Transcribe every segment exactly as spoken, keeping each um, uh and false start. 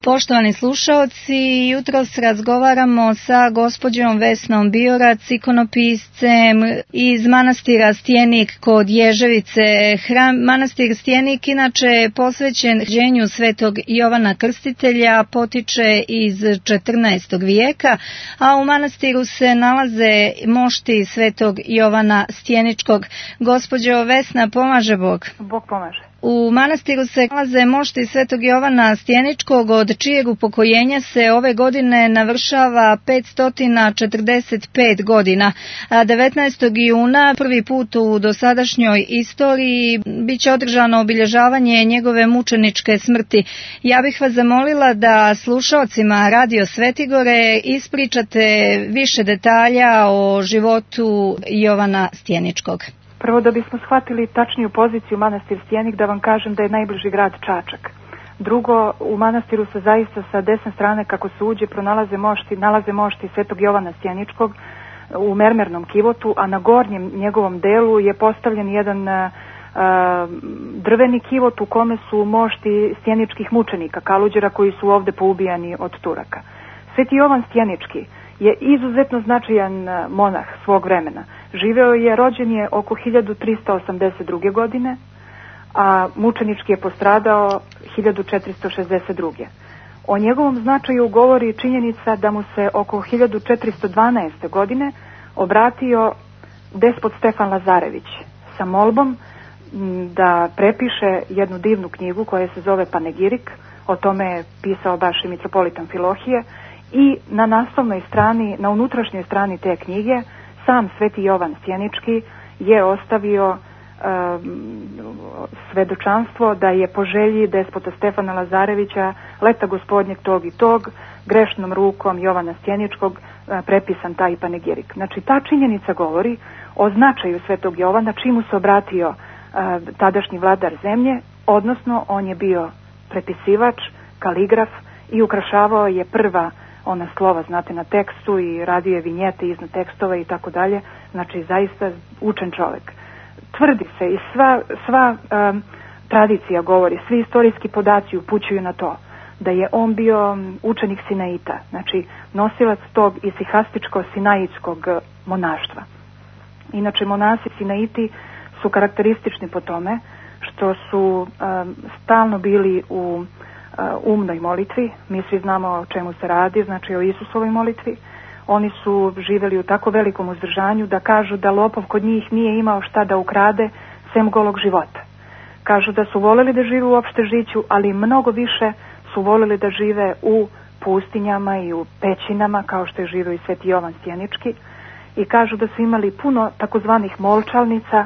Poštovani slušaoci, jutros razgovaramo sa gospođom Vesnom Biorac, ikonopiscem iz manastira Stjenik kod Ježevice. Hram manastir Stjenik inače je posvećen rođenju svetog Jovana Krstitelja, potiče iz četrnaestog vijeka, a u manastiru se nalaze mošti svetog Jovana Stjeničkog. Gospođo Vesna, pomaže Bog? Bog pomaže. U manastiru se nalaze mošti svetog Jovana Stjeničkog, od čijeg upokojenja se ove godine navršava petsto četrdeset pet godina. devetnaestog juna prvi put u dosadašnjoj istoriji biće održano obilježavanje njegove mučeničke smrti. Ja bih vas zamolila da slušaocima Radio Svetigore ispričate više detalja o životu Jovana Stjeničkog. Prvo, da bismo shvatili tačniju poziciju manastir Stjenik, da vam kažem da je najbliži grad Čačak. Drugo, u manastiru se zaista sa desne strane kako se uđe pronalaze mošti, nalaze mošti svetog Jovana Stjeničkog u mermernom kivotu, a na gornjem njegovom delu je postavljen jedan a, a, drveni kivot u kome su mošti stjeničkih mučenika, kaluđera, koji su ovde poubijani od Turaka. Sveti Jovan Stjenički je izuzetno značajan monah svog vremena. Živeo je, rođen je oko hiljadu trista osamdeset druge. godine, a mučenički je postradao hiljadu četiristo šezdeset druge. O njegovom značaju govori činjenica da mu se oko hiljadu četiristo dvanaeste. godine obratio despot Stefan Lazarević sa molbom da prepiše jednu divnu knjigu koja se zove Panegirik. O tome je pisao baš i mitropolitan Amfilohije. I na naslovnoj strani, na unutrašnjoj strani te knjige, sam sveti Jovan Stjenički je ostavio um, svedočanstvo da je po želji despota Stefana Lazarevića leta gospodnjeg tog i tog grešnom rukom Jovana Stjeničkog uh, prepisan taj panegirik. Znači, ta činjenica govori o značaju svetog Jovana, čemu se obratio uh, tadašnji vladar zemlje, odnosno on je bio prepisivač, kaligraf i ukrašavao je prva ona slova, znate, na tekstu i radio je vinjete iznad tekstova i tako dalje. Znači, zaista učen čovjek. Tvrdi se i sva, sva um, tradicija govori, svi istorijski podaci upućuju na to da je on bio učenik Sinaita, znači nosilac tog isihastičko-sinaitskog monaštva. Inače, monasi Sinaiti su karakteristični po tome što su um, stalno bili u umnoj molitvi. Mi svi znamo o čemu se radi, znači o Isusovoj molitvi. Oni su živjeli u tako velikom uzdržanju da kažu da lopov kod njih nije imao šta da ukrade sem golog života. Kažu da su voleli da žive u opštežiću, ali mnogo više su voleli da žive u pustinjama i u pećinama, kao što je živio i sveti Jovan Stjenički. I kažu da su imali puno takozvanih molčalnica,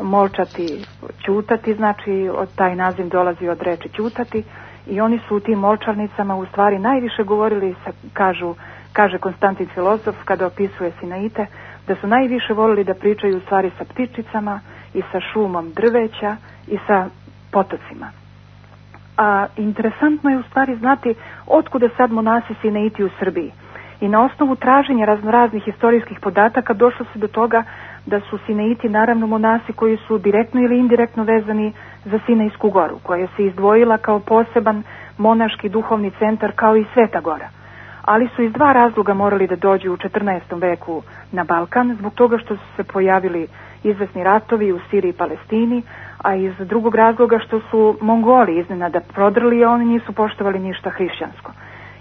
molčati, ćutati, znači od taj naziv dolazi od reči ćutati. I oni su u tim molčarnicama u stvari najviše govorili, sa, kažu, kaže Konstantin filozof kada opisuje Sinaite, da su najviše volili da pričaju u stvari sa ptičicama i sa šumom drveća i sa potocima. A interesantno je u stvari znati otkuda sad monasi Sinaiti u Srbiji. I na osnovu traženja raznoraznih historijskih podataka došlo se do toga da su Sinaiti naravno monasi koji su direktno ili indirektno vezani za Sinajsku goru, koja se izdvojila kao poseban monaški duhovni centar kao i Sveta gora. Ali su iz dva razloga morali da dođu u četrnaestom veku na Balkan, zbog toga što su se pojavili izvesni ratovi u Siriji i Palestini, a iz drugog razloga što su Mongoli iznenada prodrli, a oni nisu poštovali ništa hrišćansko.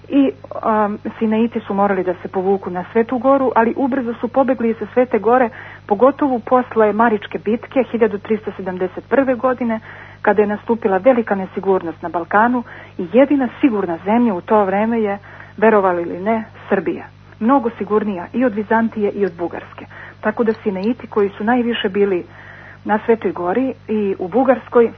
I um, Sinaiti su morali da se povuku na Svetu goru, ali ubrzo su pobegli sa Svete gore, pogotovo posle Maričke bitke hiljadu trista sedamdeset prve. godine, kada je nastupila velika nesigurnost na Balkanu i jedina sigurna zemlja u to vreme je, verovali ili ne, Srbija. Mnogo sigurnija i od Vizantije i od Bugarske. Tako da Sinaiti, koji su najviše bili na Svetoj gori i u Bugarskoj,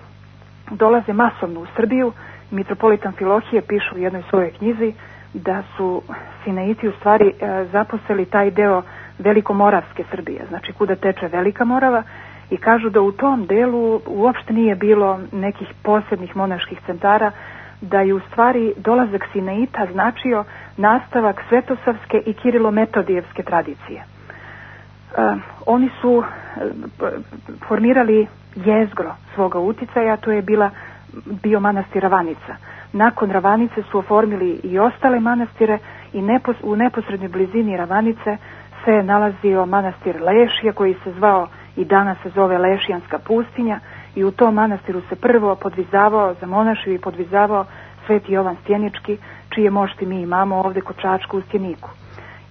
dolaze masovno u Srbiju. Mitropolitan Amfilohije piše u jednoj svojoj knjizi da su Sinaiti u stvari e, zaposeli taj deo velikomoravske Srbije, znači kuda teče Velika Morava, i kažu da u tom delu uopšte nije bilo nekih posebnih monaških centara, da je u stvari dolazak Sinaita značio nastavak svetosavske i kirilometodijevske tradicije. E, oni su e, formirali jezgro svoga uticaja, to je bila bio manastir Ravanica. Nakon Ravanice su oformili i ostale manastire i nepos, u neposrednoj blizini Ravanice se nalazio manastir Lešije koji se zvao i danas se zove Lešijanska pustinja i u tom manastiru se prvo podvizavao, zamonašio i podvizavao Sveti Jovan Stjenički, čije mošti mi imamo ovdje kod Čačka u Stjeniku.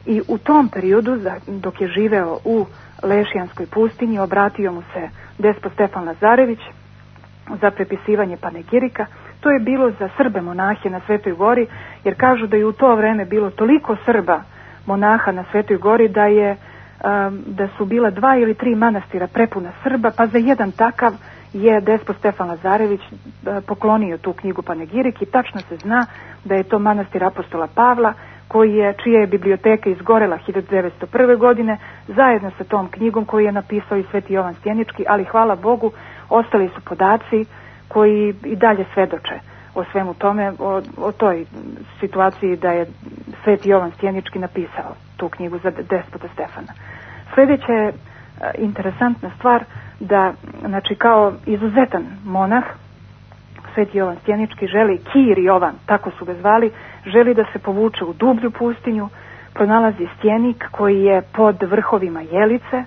I u tom periodu, dok je živeo u Lešijanskoj pustinji, obratio mu se despot Stefan Lazarević za prepisivanje panegirika. To je bilo za Srbe monahe na Svetoj Gori, jer kažu da je u to vreme bilo toliko Srba monaha na Svetoj Gori da je da su bila dva ili tri manastira prepuna Srba, pa za jedan takav je despot Stefan Lazarević poklonio tu knjigu Panegirik i tačno se zna da je to manastir apostola Pavla, koji je, čija je biblioteka izgorela hiljadu devetsto prve. godine, zajedno sa tom knjigom koju je napisao i Sveti Jovan Stjenički, ali hvala Bogu, ostali su podaci koji i dalje svedoče o svemu tome, o, o toj situaciji da je Sveti Jovan Stjenički napisao tu knjigu za despota Stefana. Sljedeća je interesantna stvar da, znači, kao izuzetan monah, Sveti Jovan Stjenički želi, Kir Jovan, tako su ga zvali, želi da se povuče u dublju pustinju, pronalazi stjenik koji je pod vrhovima Jelice.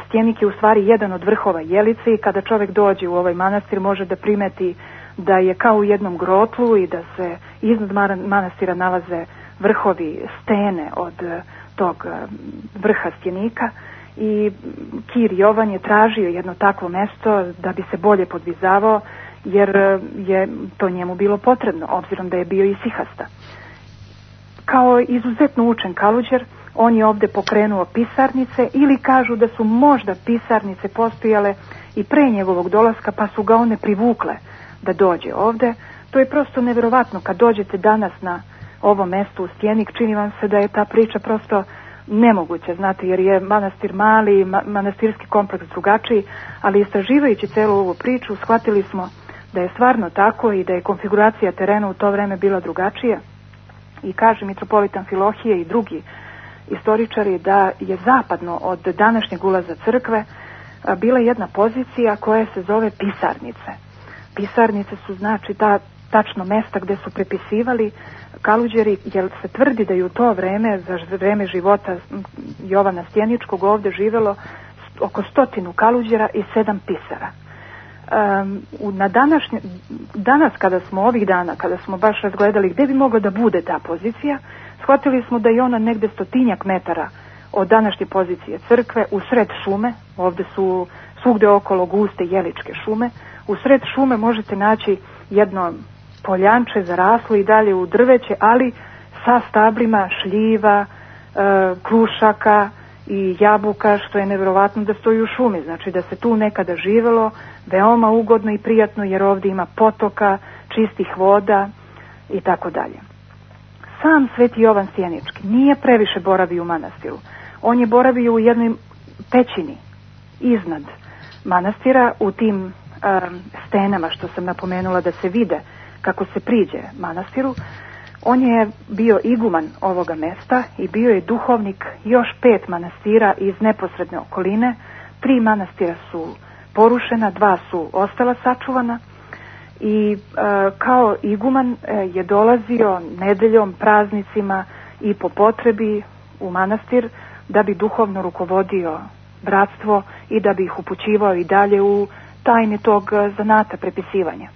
Stjenik je u stvari jedan od vrhova Jelice i kada čovjek dođe u ovaj manastir može da primeti da je kao u jednom grotlu i da se iznad manastira nalaze vrhovi stene od tog vrha stjenika i Kir Jovan je tražio jedno takvo mesto da bi se bolje podvizavao, jer je to njemu bilo potrebno, obzirom da je bio isihasta. Kao izuzetno učen kaluđer, on je ovdje pokrenuo pisarnice, ili kažu da su možda pisarnice postojale i pre njegovog dolaska, pa su ga one privukle da dođe ovdje. To je prosto nevjerovatno. Kad dođete danas na ovo mesto u Stjenik, čini vam se da je ta priča prosto nemoguće, znate, jer je manastir mali, ma- manastirski kompleks drugačiji, ali istraživajući celu ovu priču, shvatili smo da je stvarno tako i da je konfiguracija terena u to vreme bila drugačija. I kaže mitropolitan Filohije i drugi istoričari da je zapadno od današnjeg ulaza crkve bila jedna pozicija koja se zove pisarnice. Pisarnice su, znači, ta tačno mesta gdje su prepisivali kaluđeri, jer se tvrdi da je u to vreme, za vreme života Jovana Stjeničkog, ovdje živelo oko stotinu kaluđera i sedam pisara. Um, na današnje, danas kada smo ovih dana, kada smo baš razgledali gdje bi mogla da bude ta pozicija, shvatili smo da je ona negdje stotinjak metara od današnje pozicije crkve, u sred šume, ovdje su svugdje okolo guste jeličke šume, u sred šume možete naći jedno poljanče zaraslo i dalje u drveće, ali sa stablima šljiva, e, krušaka i jabuka, što je nevjerovatno da stoji u šumi, znači da se tu nekada živelo veoma ugodno i prijatno, jer ovdje ima potoka, čistih voda i tako dalje. Sam Sveti Jovan Stjenički nije previše boravio u manastiru. On je boravio u jednoj pećini iznad manastira, u tim um, stenama što sam napomenula da se vide kako se priđe manastiru. On je bio iguman ovoga mesta i bio je duhovnik još pet manastira iz neposredne okoline. Tri manastira su porušena, dva su ostala sačuvana i e, kao iguman e, je dolazio nedeljom, praznicima i po potrebi u manastir da bi duhovno rukovodio bratstvo i da bi ih upućivao i dalje u tajni tog zanata prepisivanja.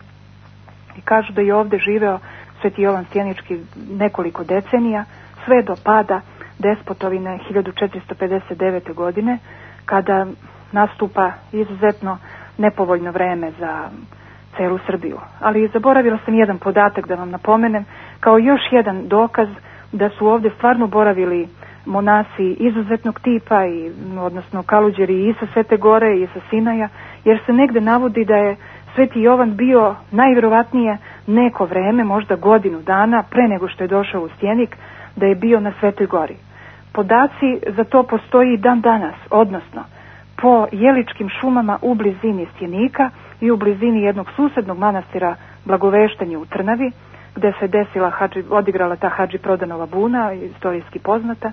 I kažu da je ovdje živeo Sveti Jovan Stjenički nekoliko decenija, sve do pada despotovine hiljadu četiristo pedeset devete. godine, kada nastupa izuzetno nepovoljno vreme za celu Srbiju. Ali zaboravila sam jedan podatak da vam napomenem, kao još jedan dokaz da su ovdje stvarno boravili monasi izuzetnog tipa, i, odnosno kaluđeri i sa Svete Gore i sa Sinaja, jer se negde navodi da je Sveti Jovan bio najvjerovatnije neko vreme, možda godinu dana pre nego što je došao u Stjenik, da je bio na Svetoj Gori. Podaci za to postoji i dan danas, odnosno po jeličkim šumama u blizini Stjenika i u blizini jednog susednog manastira Blagoveštanje u Trnavi, gdje se desila hadži, odigrala ta Hadži Prodanova buna, istorijski poznata,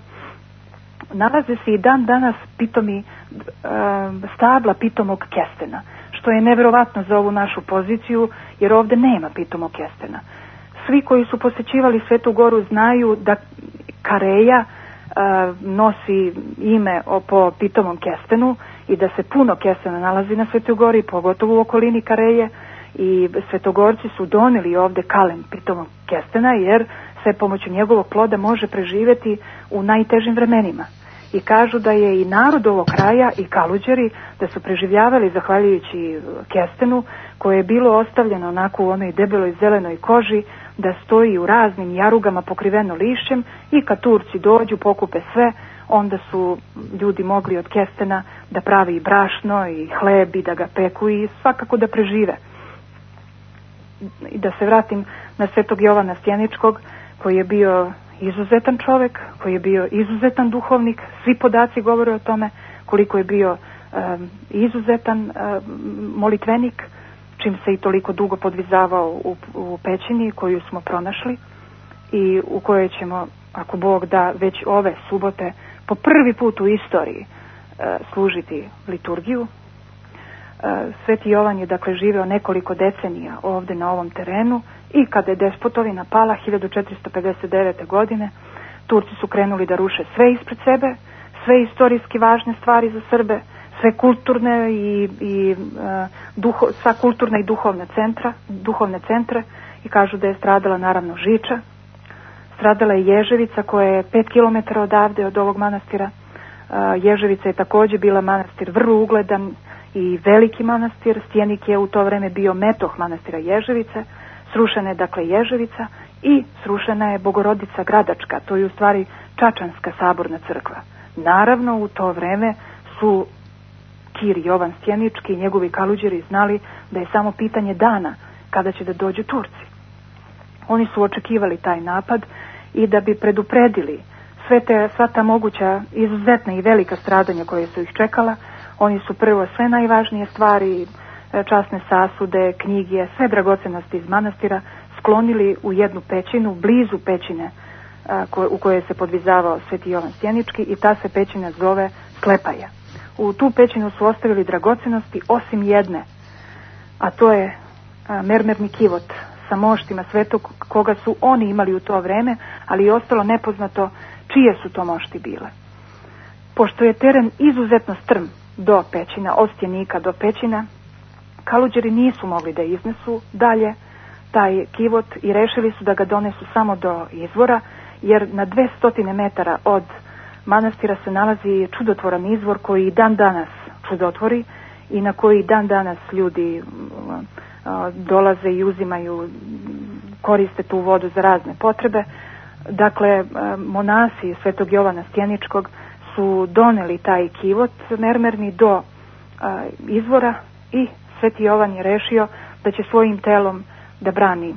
nalaze se i dan danas pitomi, e, stabla pitomog kestena, što je neverovatno za ovu našu poziciju, jer ovde nema pitomog kestena. Svi koji su posećivali Svetu Goru znaju da Kareja uh, nosi ime po pitomom kestenu i da se puno kestena nalazi na Svetoj Gori, pogotovo u okolini Kareje, i Svetogorci su doneli ovde kalen pitomog kestena, jer se pomoću njegovog ploda može preživeti u najtežim vremenima. I kažu da je i narod ovog kraja i Kaluđeri da su preživljavali zahvaljujući kestenu, koje je bilo ostavljeno onako u onoj debeloj zelenoj koži, da stoji u raznim jarugama pokriveno lišćem, i kad Turci dođu, pokupe sve, onda su ljudi mogli od kestena da pravi i brašno i hleb i da ga peku i svakako da prežive. I da se vratim na Svetog Jovana Stjeničkog, koji je bio izuzetan čovek, koji je bio izuzetan duhovnik. Svi podaci govore o tome koliko je bio um, izuzetan um, molitvenik, čim se i toliko dugo podvizavao u, u pećini koju smo pronašli i u kojoj ćemo, ako Bog da, već ove subote po prvi put u istoriji uh, služiti liturgiju. Sveti Jovan je dakle živeo nekoliko decenija ovde na ovom terenu, i kada je despotovina pala hiljadu četiristo pedeset devete. godine, Turci su krenuli da ruše sve ispred sebe, sve istorijski važne stvari za Srbe, sve kulturne i, i uh, duho, sva kulturna i duhovna centra, duhovne centre, i kažu da je stradala naravno Žiča, stradala je Ježevica koja je pet kilometara odavde od ovog manastira. Uh, Ježevica je takođe bila manastir vrlo ugledan i veliki manastir. Stjenik je u to vreme bio metoh manastira Ježevice. Srušena je dakle Ježevica i srušena je Bogorodica Gradačka, to je u stvari Čačanska saborna crkva. Naravno, u to vreme su Kir Jovan Stjenički i njegovi Kaluđeri znali da je samo pitanje dana kada će da dođu Turci. Oni su očekivali taj napad i da bi predupredili sve te, sva ta moguća izuzetna i velika stradanja koje su ih čekala, oni su prvo sve najvažnije stvari, časne sasude, knjige, sve dragocenosti iz manastira sklonili u jednu pećinu, blizu pećine u kojoj se podvizavao Sveti Jovan Stjenički, i ta se pećina zove Slepaja. U tu pećinu su ostavili dragocenosti osim jedne, a to je mermerni kivot sa moštima svetog koga su oni imali u to vreme, ali je ostalo nepoznato čije su to mošti bile. Pošto je teren izuzetno strm do pećina, od Stjenika do pećina, Kaluđeri nisu mogli da iznesu dalje taj kivot i rešili su da ga donesu samo do izvora, jer na dvesta metara od manastira se nalazi čudotvoran izvor koji dan danas čudotvori i na koji dan danas ljudi dolaze i uzimaju, koriste tu vodu za razne potrebe. Dakle, monasi Svetog Jovana Stjeničkog su doneli taj kivot mermerni do izvora i Sveti Jovan je rešio da će svojim telom da brani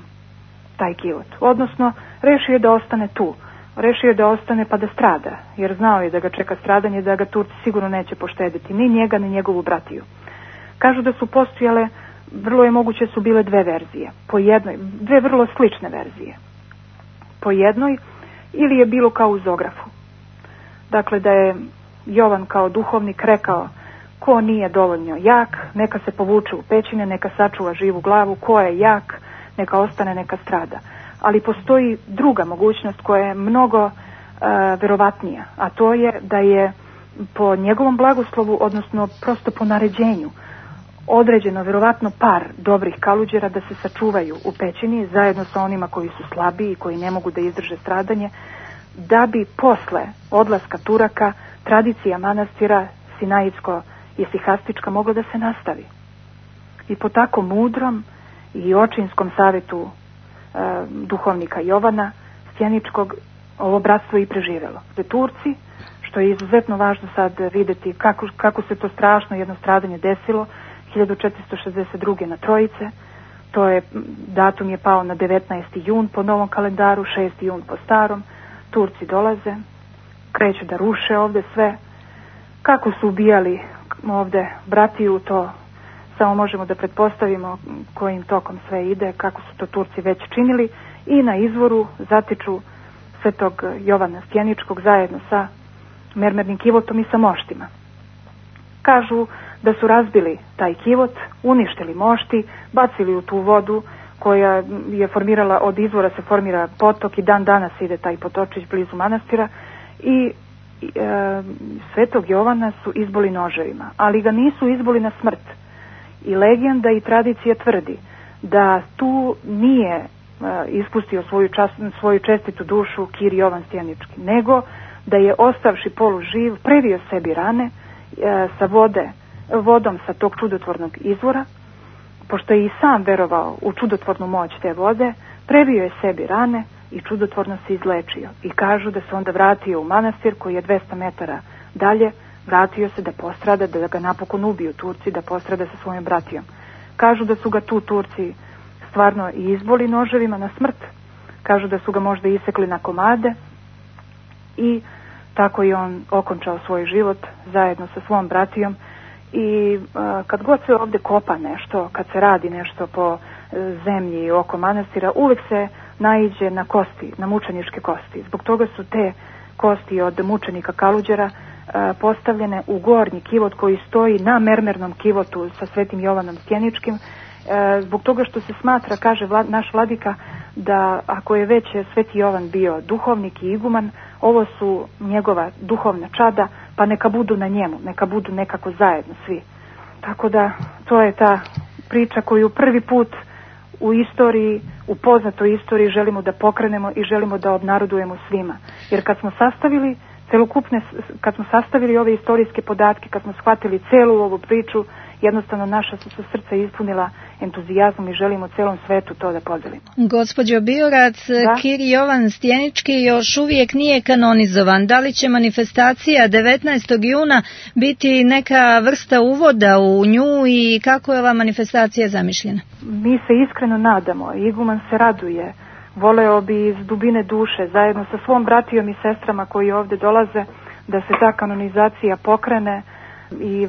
taj kivot. Odnosno, rešio je da ostane tu. Rešio je da ostane pa da strada, jer znao je da ga čeka stradanje, da ga Turci sigurno neće poštediti, ni njega, ni njegovu bratiju. Kažu da su postojale, vrlo je moguće su bile dve verzije, po jednoj, dve vrlo slične verzije. Po jednoj, ili je bilo kao u Zografu. Dakle, da je Jovan kao duhovnik rekao: ko nije dovoljno jak, neka se povuče u pećine, neka sačuva živu glavu, ko je jak, neka ostane, neka strada. Ali postoji druga mogućnost koja je mnogo uh, verovatnija, a to je da je po njegovom blagoslovu, odnosno prosto po naređenju, određeno verovatno par dobrih Kaluđera da se sačuvaju u pećini zajedno sa onima koji su slabiji i koji ne mogu da izdrže stradanje, da bi posle odlaska Turaka tradicija manastira Sinajitsko-Isihastička mogla da se nastavi. I po tako mudrom i očinskom savjetu e, duhovnika Jovana Stjeničkog ovo bratstvo i preživelo. Za Turci, što je izuzetno važno sad videti kako, kako se to strašno jedno stradanje desilo, hiljadu četiristo šezdeset druge na Trojice, to je, datum je pao na devetnaesti jun po novom kalendaru, šesti jun po starom. Turci dolaze, kreću da ruše ovde sve. Kako su ubijali ovde bratiju, to samo možemo da pretpostavimo kojim tokom sve ide, kako su to Turci već činili, i na izvoru zatiču Svetog Jovana Stjeničkog zajedno sa mermernim kivotom i sa moštima. Kažu da su razbili taj kivot, uništili mošti, bacili u tu vodu koja je formirala, od izvora se formira potok i dan danas ide taj potočić blizu manastira i e, Svetog Jovana su izboli noževima, ali ga nisu izboli na smrt. I legenda i tradicija tvrdi da tu nije e, ispustio svoju, čast, svoju čestitu dušu Kir Jovan Stjenički, nego da je ostavši poluživ previo sebi rane e, sa vode, vodom sa tog čudotvornog izvora, pošto je i sam verovao u čudotvornu moć te vode, previo je sebi rane i čudotvorno se izlečio. I kažu da se onda vratio u manastir koji je dvesta metara dalje, vratio se da postrada, da ga napokon ubiju Turci, da postrada sa svojim bratijom. Kažu da su ga tu Turci stvarno i izboli noževima na smrt, kažu da su ga možda isekli na komade i tako je on okončao svoj život zajedno sa svom bratijom. I a, kad god se ovdje kopa nešto, kad se radi nešto po e, zemlji oko manastira, uvijek se naiđe na kosti, na mučeničke kosti. Zbog toga su te kosti od mučenika Kaluđera a, postavljene u gornji kivot koji stoji na mermernom kivotu sa Svetim Jovanom Stjeničkim, e, zbog toga što se smatra, kaže vlad, naš vladika, da ako je već Sveti Jovan bio duhovnik i iguman, ovo su njegova duhovna čada, pa neka budu na njemu, neka budu nekako zajedno svi. Tako da to je ta priča koju prvi put u istoriji, u poznatoj istoriji želimo da pokrenemo i želimo da obnarodujemo svima. Jer kad smo sastavili celokupne, kad smo sastavili ove istorijske podatke, kad smo shvatili celu ovu priču, jednostavno naša su se srca ispunila entuzijazmom i želimo celom svetu to da podelimo. Gospođo Biorac, da? Kir Jovan Stjenički još uvijek nije kanonizovan. Da li će manifestacija devetnaestog juna biti neka vrsta uvoda u nju i kako je ova manifestacija zamišljena? Mi se iskreno nadamo, iguman se raduje, voleo bi iz dubine duše, zajedno sa svom bratijom i sestrama koji ovdje dolaze, da se ta kanonizacija pokrene, i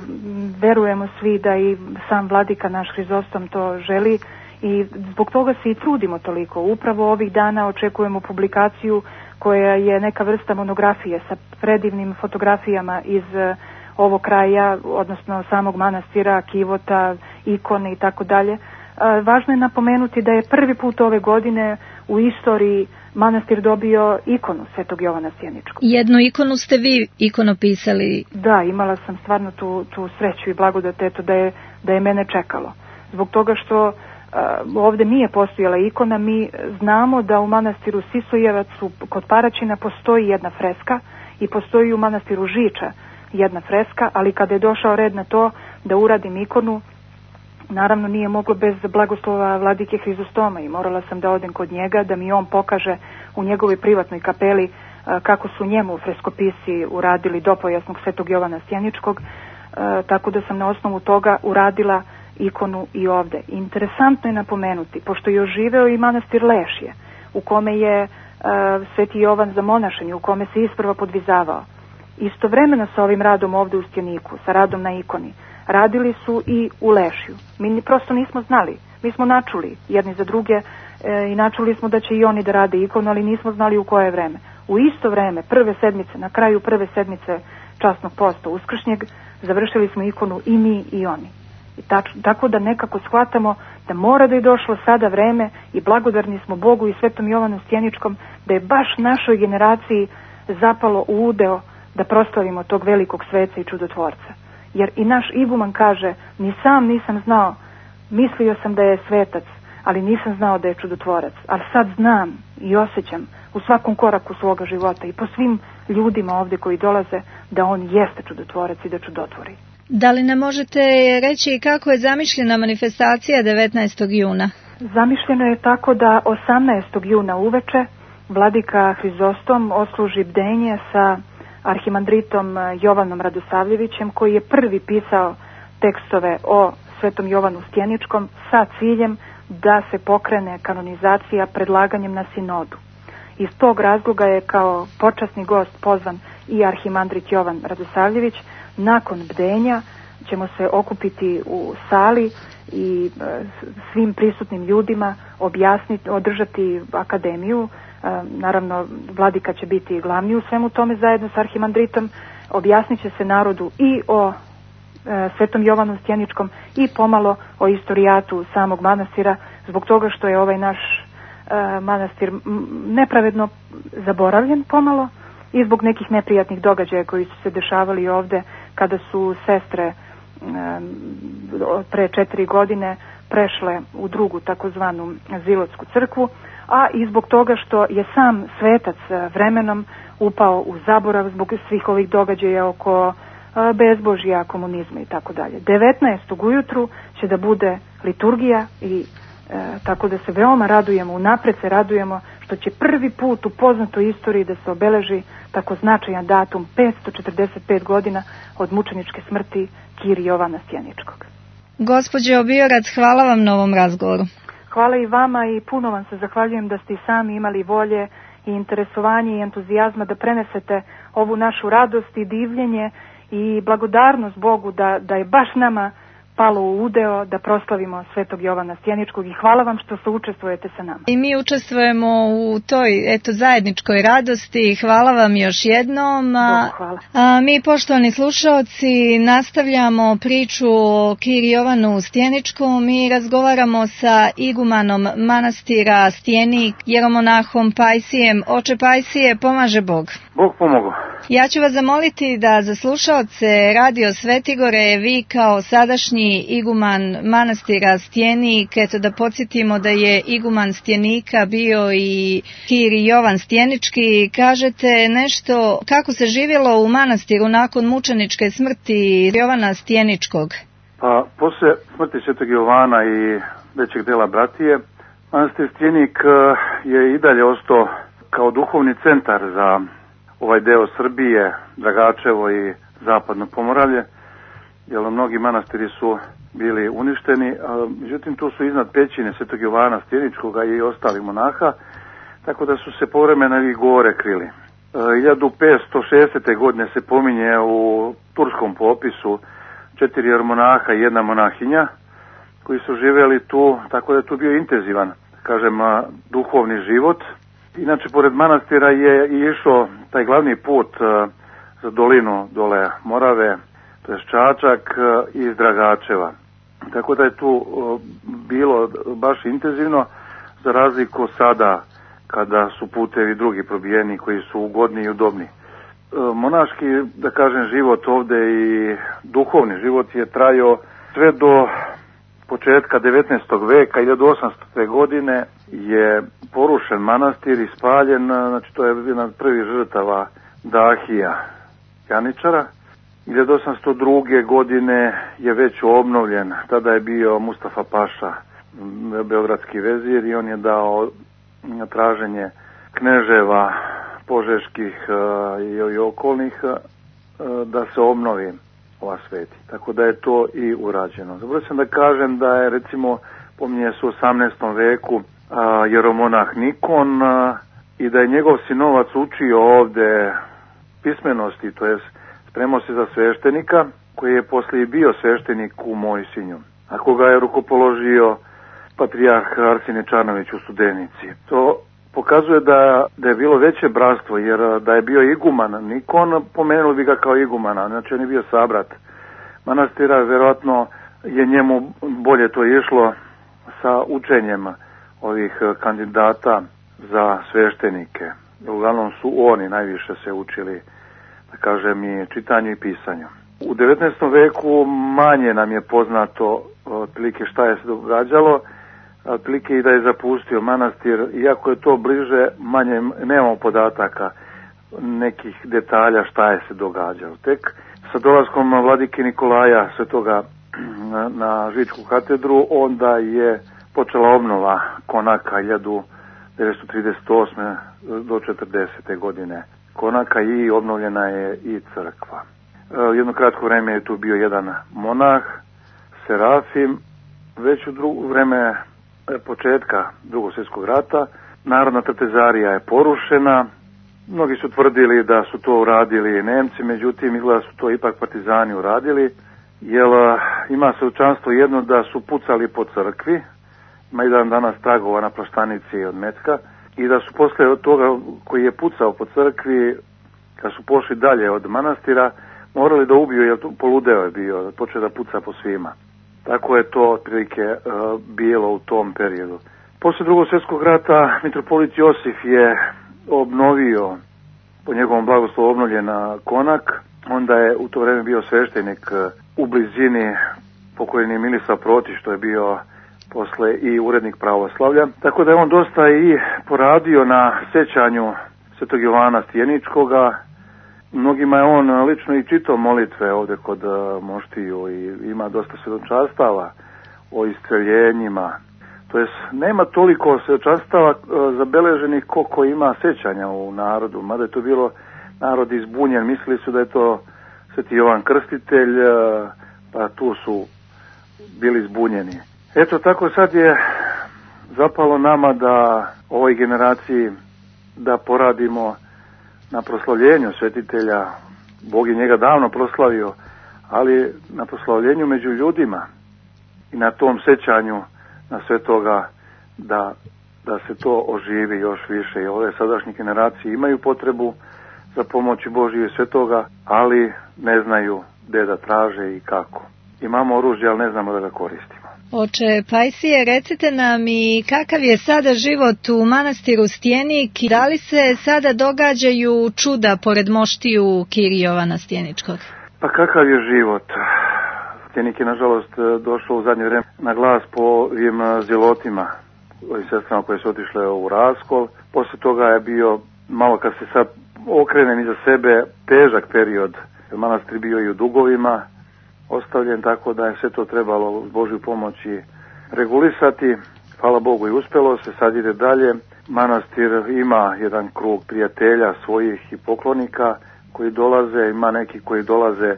verujemo svi da i sam vladika naš Hrizostom to želi i zbog toga se i trudimo toliko. Upravo ovih dana očekujemo publikaciju koja je neka vrsta monografije sa predivnim fotografijama iz ovog kraja, odnosno samog manastira, kivota, ikone i tako dalje. Važno je napomenuti da je prvi put ove godine u istoriji manastir dobio ikonu Svetog Jovana Stjeničkog. Jednu ikonu ste vi ikonopisali? Da, imala sam stvarno tu, tu sreću i blagodat eto da je, da je mene čekalo. Zbog toga što uh, ovdje nije postojala ikona, mi znamo da u manastiru Sisojevac kod Paraćina postoji jedna freska i postoji u manastiru Žiča jedna freska, ali kada je došao red na to da uradim ikonu, naravno nije moglo bez blagoslova vladike Hrizostoma i morala sam da odem kod njega da mi on pokaže u njegovoj privatnoj kapeli a, kako su njemu freskopisi uradili dopojasnog Svetog Jovana Stjeničkog, a, tako da sam na osnovu toga uradila ikonu i ovde. Interesantno je napomenuti, pošto je oživeo i manastir Lešje, u kome je a, Sveti Jovan zamonašen i u kome se isprva podvizavao. Istovremeno sa ovim radom ovde u Stjeniku, sa radom na ikoni, radili su i u Lešju. Mi prosto nismo znali. Mi smo načuli jedni za druge e, i načuli smo da će i oni da rade ikonu, ali nismo znali u koje vreme. U isto vreme, prve sedmice, na kraju prve sedmice časnog posta uskršnjeg, završili smo ikonu i mi i oni. I tač, tako da nekako shvatamo da mora da je došlo sada vreme i blagodarni smo Bogu i Svetom Jovanu Stjeničkom da je baš našoj generaciji zapalo u udeo da proslavimo tog velikog sveca i čudotvorca. Jer i naš iguman kaže, ni sam nisam znao, mislio sam da je svetac, ali nisam znao da je čudotvorac. Ali sad znam i osjećam u svakom koraku svoga života i po svim ljudima ovdje koji dolaze da on jeste čudotvorac i da čudotvori. Da li ne možete reći kako je zamišljena manifestacija devetnaestog juna? Zamišljeno je tako da osamnaestog juna uveče vladika Hrizostom osluži bdenje sa arhimandritom Jovanom Radosavljevićem, koji je prvi pisao tekstove o Svetom Jovanu Stjeničkom sa ciljem da se pokrene kanonizacija predlaganjem na sinodu. Iz tog razloga je kao počasni gost pozvan i arhimandrit Jovan Radosavljević. Nakon bdenja ćemo se okupiti u sali i svim prisutnim ljudima objasniti, održati akademiju. Naravno, vladika će biti glavni u svemu tome zajedno s arhimandritom. Objasnit će se narodu i o Svetom Jovanu Stjeničkom i pomalo o istorijatu samog manastira, zbog toga što je ovaj naš e, manastir nepravedno zaboravljen pomalo i zbog nekih neprijatnih događaja koji su se dešavali ovde kada su sestre e, pre četiri godine prešle u drugu takozvanu Zilotsku crkvu, a i zbog toga što je sam svetac vremenom upao u zaborav zbog svih ovih događaja oko bezbožja, komunizma i tako dalje. devetnaestog ujutru će da bude liturgija i e, tako da se veoma radujemo, unapred se radujemo što će prvi put u poznatoj istoriji da se obeleži tako značajan datum, petsto četrdeset pet godina od mučeničke smrti Kiri Jovana Stjeničkog. Gospođo Biorac, hvala vam na ovom razgovoru. Hvala i vama i puno vam se zahvaljujem da ste i sami imali volje i interesovanje i entuzijazma da prenesete ovu našu radost i divljenje i blagodarnost Bogu da, da je baš nama palo u udeo da proslavimo Svetog Jovana Stjeničkog i hvala vam što se učestvujete sa nama. I mi učestvujemo u toj eto zajedničkoj radosti. Hvala vam još jednom. Bogu hvala. A, mi, poštovani slušaoci, nastavljamo priču o Kiri Jovanu Stjeničkom i razgovaramo sa igumanom manastira Stjenik, jeromonahom Pajsijem. Oče Pajsije, pomaže Bog. Bog pomogao. Ja ću vas zamoliti da za slušaoce Radio Svetigore, vi kao sadašnji iguman manastira Stjenik, eto da podsjetimo da je iguman Stjenika bio i Kiri Jovan Stjenički, kažete nešto kako se živjelo u manastiru nakon mučeničke smrti Jovana Stjeničkog? Pa, posle smrti Svetog Jovana i većeg dela bratije, manastir Stjenik je i dalje ostao kao duhovni centar za ovaj deo Srbije, Dragačevo i zapadno Pomoravlje, jer mnogi manastiri su bili uništeni, a, međutim tu su iznad pećine Svetog Jovana Stjeničkoga i ostalih monaha, tako da su se povremeno i gore krili. E, hiljadu petsto šestdesete. godine se pominje u turskom popisu četiri jeromonaha i jedna monahinja koji su živjeli tu, tako da je tu bio intenzivan, kažem, a, duhovni život. Inače, pored manastira je i išao taj glavni put uh, za dolinu dole Morave, to je Čačak uh, iz Dragačeva. Tako da je tu uh, bilo baš intenzivno, za razliku sada kada su putevi drugi probijeni koji su ugodni i udobni. Uh, monaški, da kažem, život ovde i duhovni život je trajao sve do početka devetnaestog veka, hiljadu osamstote. godine je porušen manastir i spaljen, znači to je jedna od prvih žrtava Dahija Janičara. hiljadu osamsto druge. godine je već obnovljen, tada je bio Mustafa Paša, beogradski vezir, i on je dao na traženje kneževa požeških i okolnih da se obnovi ova sveti. Tako da je to i urađeno. Zaboravio sam da kažem da je, recimo, pominje se u osamnaestom veku a, jeromonah Nikon a, i da je njegov sinovac učio ovde pismenosti, to jest spremao se za sveštenika, koji je poslije bio sveštenik u Mojsinju, a koga je rukopoložio patrijarh Arsenije Čarnović u Studenici. To pokazuje da, da je bilo veće bratstvo, jer da je bio iguman Nikon, pomenuli bi ga kao igumana, znači on je bio sabrat manastira, vjerojatno je njemu bolje to išlo sa učenjem ovih kandidata za sveštenike. Uglavnom su oni najviše se učili, da kažem, i čitanju i pisanju. U devetnaestom veku manje nam je poznato otprilike šta je se događalo, otprilike i da je zapustio manastir, iako je to bliže, manje nemamo podataka, nekih detalja šta je se događalo. Tek sa dolaskom vladike Nikolaja Svetoga na, na Žičku katedru, onda je počela obnova konaka hiljadu devetsto trideset osme. do četrdesete. godine konaka i obnovljena je i crkva. E, jedno kratko vreme je tu bio jedan monah, Serafim. Već u drugo vreme početka Drugog svjetskog rata Narodna trtezarija je porušena. Mnogi su tvrdili da su to uradili Nemci, međutim izgleda su to ipak partizani uradili, jer ima svjedočanstvo jedno da su pucali po crkvi, ima jedan danas tragova na plaštanici od metka, i da su posle od toga koji je pucao po crkvi, kad su pošli dalje od manastira, morali da ubiju, jer poludeo je bio, počeo da puca po svima. Tako je to otprilike uh, bilo u tom periodu. Posle drugog svjetskog rata mitropolit Josif je obnovio, po njegovom blagoslovu obnovljena Konak, onda je u to vreme bio sveštenik u blizini pokojni Milisav Protić, što je bio posle i urednik pravoslavlja. Tako da je on dosta i poradio na sećanju Svetog Jovana Stjeničkoga. Mnogima je on lično i čitao molitve ovde kod moštiju i ima dosta svjedočanstava o istreljenjima. To jest, nema toliko svjedočanstava zabeleženih koliko ima sećanja u narodu, mada je to bilo narod izbunjen, mislili su da je to Sveti Jovan Krstitelj, pa tu su bili zbunjeni. Eto, tako sad je zapalo nama da ovoj generaciji da poradimo na proslavljenju svetitelja. Bog je njega davno proslavio, ali na proslavljenju među ljudima i na tom sećanju na svetoga da, da se to oživi još više. I ove sadašnje generacije imaju potrebu za pomoći Božiju i svetoga, ali ne znaju gde da traže i kako. Imamo oružje, ali ne znamo da ga koristimo. Oče Pajsije, recite nam i kakav je sada život u manastiru Stjenik i da li se sada događaju čuda pored moštiju Kirije Jovana Stjeničkog? Pa kakav je život? Stjenik je nažalost došao u zadnje vreme na glas po ovim zilotima, ovim sestrama koje su otišle u raskol. Posle toga je bio, malo kad se sad okrenem iza sebe, težak period. Manastir bio i u dugovima ostavljen, tako da je sve to trebalo uz Božju pomoći regulisati. Hvala Bogu i uspelo se, sad ide dalje. Manastir ima jedan krug prijatelja svojih i poklonika koji dolaze, ima neki koji dolaze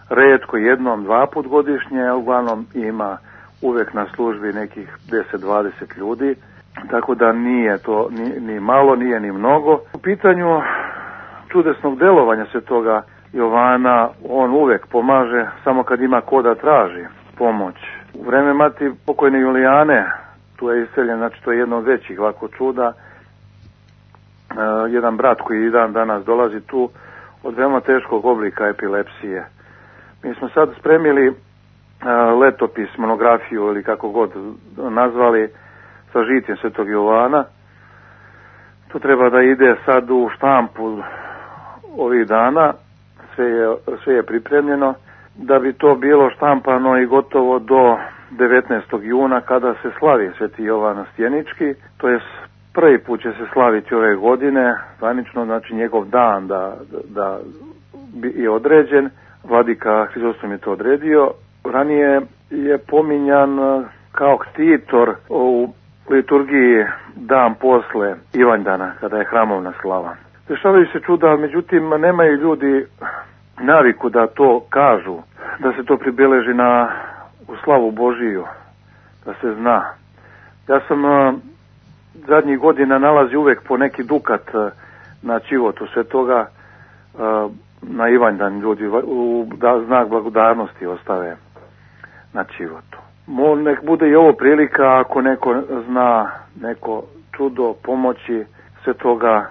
retko jednom, dva put godišnje, a uglavnom ima uvek na službi nekih deset do dvadeset ljudi, tako da nije to ni, ni malo, nije ni mnogo. U pitanju čudesnog delovanja svetoga Jovana, on uvek pomaže samo kad ima ko da traži pomoć. U vreme mati pokojne Julijane, tu je iseljen, znači to je jedno od većih ovako čuda, e, jedan brat koji i dan danas dolazi tu od veoma teškog oblika epilepsije. Mi smo sad spremili e, letopis, monografiju ili kako god nazvali, sa žitjem svetog Jovana. To treba da ide sad u štampu ovih dana. Sve je, sve je pripremljeno da bi to bilo štampano i gotovo do devetnaestog juna kada se slavi Sveti Jovan Stjenički, to je prvi put će se slaviti ove godine, zvanično, znači njegov dan da, da je određen, vladika Hrizostom je to odredio. Ranije je pominjan kao ktitor u liturgiji dan posle Ivanjdana, kada je hramovna slava. Dešavaju se čuda, međutim nemaju ljudi naviku da to kažu, da se to pribeleži na u slavu Božiju, da se zna. Ja sam uh, zadnjih godina nalazi uvek po neki dukat uh, na čivotu svetoga, uh, na Ivanjdan ljudi u da, znak blagodarnosti ostave na čivotu. Mo, nek bude i ovo prilika ako neko zna neko čudo pomoći svetoga,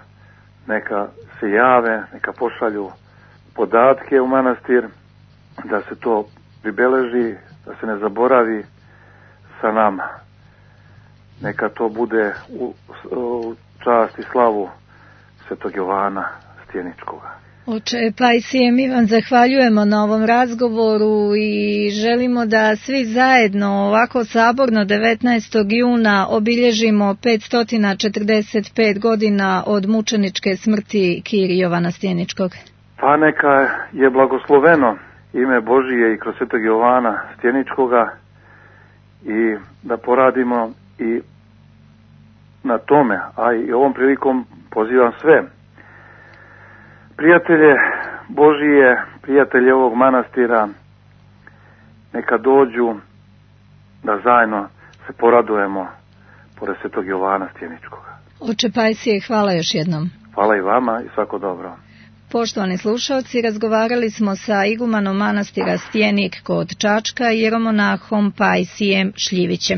neka se jave, neka pošalju podatke u manastir, da se to pribeleži, da se ne zaboravi sa nama. Neka to bude u, u čast i slavu Svetog Jovana Stjeničkoga. Oče Pajsije, mi vam zahvaljujemo na ovom razgovoru i želimo da svi zajedno ovako saborno devetnaestog juna obilježimo petsto četrdeset pet godina od mučeničke smrti Kirije Jovana Stjeničkog. Pa neka je blagosloveno ime Božije i kroz Svetog Jovana Stjeničkoga i da poradimo i na tome, a i ovom prilikom pozivam sve prijatelje Božije, prijatelje ovog manastira, neka dođu da zajedno se poradujemo pored Svetog Jovana Stjeničkoga. Oče Pajsije, hvala još jednom. Hvala i vama i svako dobro. Poštovani slušalci, razgovarali smo sa igumanom manastira Stjenik kod Čačka, jeromonahom Pajsijem Šljivićem.